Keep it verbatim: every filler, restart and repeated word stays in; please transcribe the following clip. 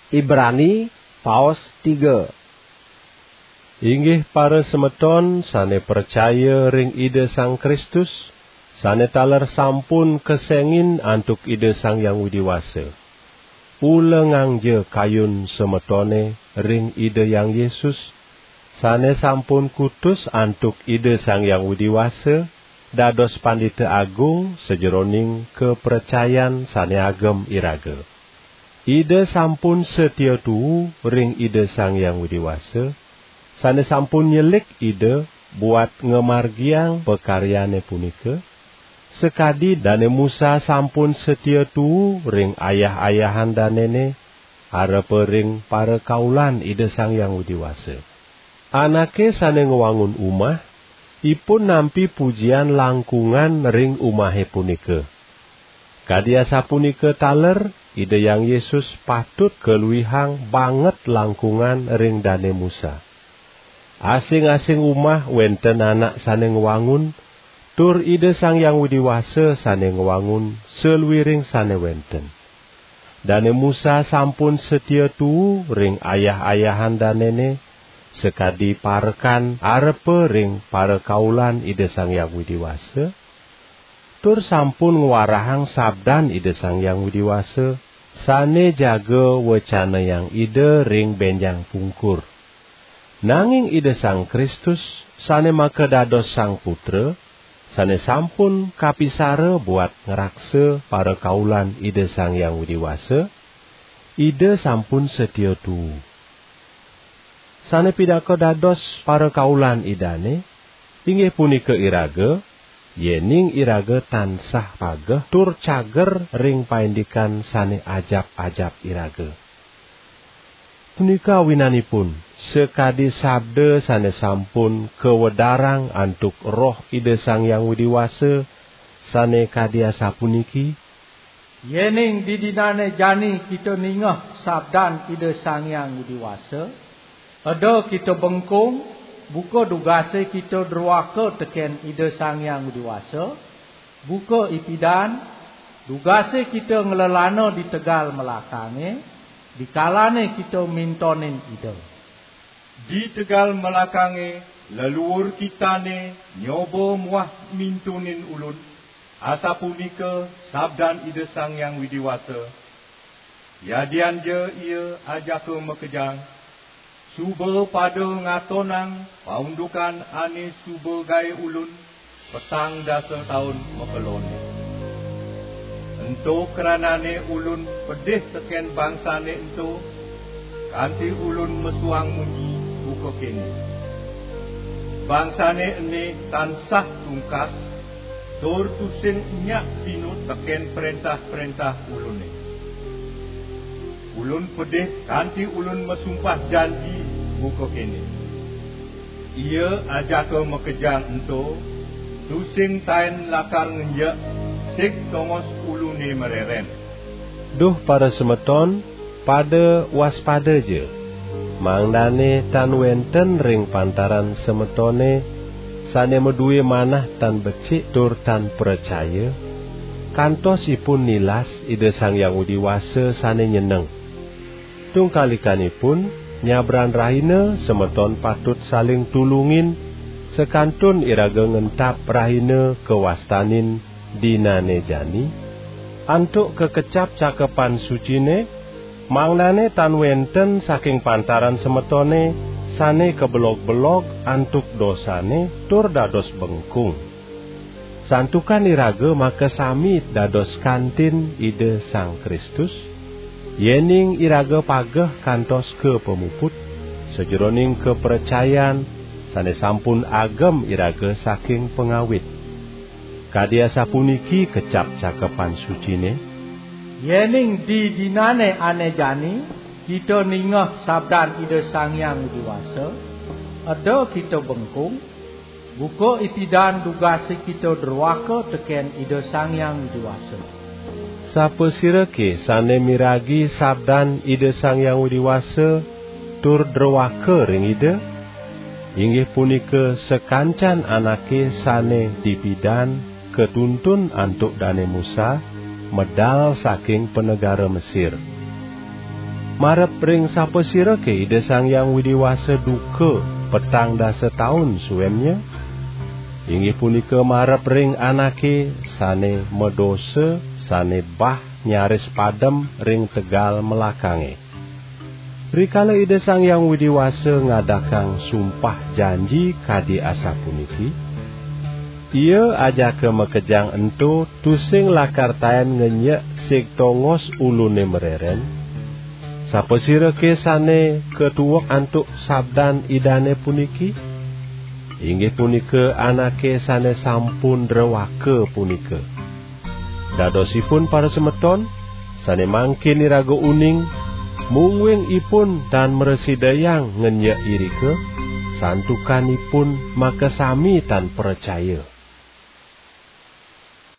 Ibrani, paos tiga. Inggih parasemeton sane pracaya ring Ida Sang Kristus, sane taler sampun kesengin antuk Ida Sang Hyang Widi Wasa. Ulengangja kayun semetone ring Ida Hyang Yesus, sane sampun kutus antuk Ida Sang Hyang Widi Wasa, dados Pandita Agung sajeroning kapracayan sane agem iraga. Ida sampun satia tuu ring Ida Sang Hyang Widi Wasa, sane sampun nyelik Ida buat ngamargiang pakaryane punika, sakadi Dane Musa sampun satia tuu ring ayah-ayahan danene, arepa ring parakaulan Ida Sang Hyang Widi Wasa. Anake sane ngwangun umah, ipun nampi pujian langkungan ring umahe punika. Kadi asapunika taler, Ida Hyang Yesus patut kaluihang banget langkungan ring Dane Musa. Asing-asing umah wenten anak sane ngwangun, tur Ida Sang Hyang Widi Wasa sane ngwangun saluiring sane wenten. Dane Musa sampun satia tuu ring ayah-ayahan danene, sakadi parekan arepa ring parakaulan Ida Sang Hyang Widi Wasa, tur sampun ngwarahang sabdan Ida Sang Hyang Widi Wasa, sane jaga wecanayang Ida ring benjang pungkur. Nanging Ida Sang Kristus, sane makadados Sang Putra, sane sampun kapisara buat ngraksa parakaulan Ida Sang Hyang Widi Wasa, Ida sampun satia tuu. Sane pinaka dados parakaulan Idane, inggih punika iraga, yening iraga tansah pageh tur cager ring paindikan sane ajap-ajap iraga. Punika awinanipun, sakadi sabda sane sampun kawedarang antuk Roh Ida Sang Hyang Widi Wasa, sane kadi asapuniki: Yening didinane jani kita ningeh sabdan Ida Sang Hyang Widi Wasa, eda kita bengkung, buka dugase kita druaka teken Ida Sang Hyang Widi Wasa, buka ipidan, dugase kita nglelana di tegal melakange, dikalane kita mintonin Ida. Di tegal melakange, leluur kitane nyoba muah mintunin ulun, asapunika sabdan Ida Sang Hyang Widi Wasa. Yadian ja ia ajaka makejang, suba pada ngatonang paundukan ane suba gae ulun petang dasa taun makelonne. Ento kranane ulun pedih teken bangsane ento, kanti ulun mesuang munyi buka kene: Bangsane ene tansah tungkas, tur tusing nyak sinut teken prentah-prentah ulune. Ulun pedih kanti ulun masumpah janji buka kene: Ia ajaka makejang ento, tusing taen lakar ngenjek, sik tongos ulune mareren. Duh parasemeton, pada waspada ja, mangdane tan wenten ring pantaran semetone sane madue manah tan becik tur tan pracaya, kantos ipun nilas Ida Sang Hyang Widi Wasa sane nyeneng. Tungkalikanipun, nyabran rahina semeton patut saling tulungin, sakantun iraga ngentap rahina kawastanin dinane jani, antuk kakecap Cakepan Sucine, mangdane tan wenten saking pantaran semetone sane kabelog-belog antuk dosane tur dados bengkung. Santukan iraga makasami dados kantin Ida Sang Kristus, yening iraga pageh kantos ka pamuput, sajeroning kapracayan sane sampun agem iraga saking pangawit. Kadi asapuniki kecap Cakepan Sucine: Yening didinane ane jani kita ningeh sabdan Ida Sang Hyang Widi Wasa, eda kita bengkung, buka ipidan dugase kita druaka teken Ida Sang Hyang Widi Wasa. Sapasirake sane miragi sabdan Ida Sang Hyang Widi Wasa tur druaka ring Ida? Inggih punika sakancan anake sane dipidan katuntun antuk Dane Musa, medal saking panegara Mesir. Marep ring sapasirake Ida Sang Hyang Widi Wasa duka petang dasa taun suennya? Inggih punika marep ring anake sane madosa, sane bah nyaris padem ring tegal melakange. Rikala Ida Sang Hyang Widi Wasa ngadakang sumpah janji kadi asapuniki, Ia ajaka makejang ento tusing lakar taen ngenyek sig tongos ulune mareren, sapasirake sane katuek antuk sabdan Idane puniki? Inggih punika anake sane sampun drewaka punika. Dadosipun, para semeton, sane mangkin iraga uning, mungguing ipun tan mrasidayang ngenyek irika, santukan ipun makasami tan pracaya.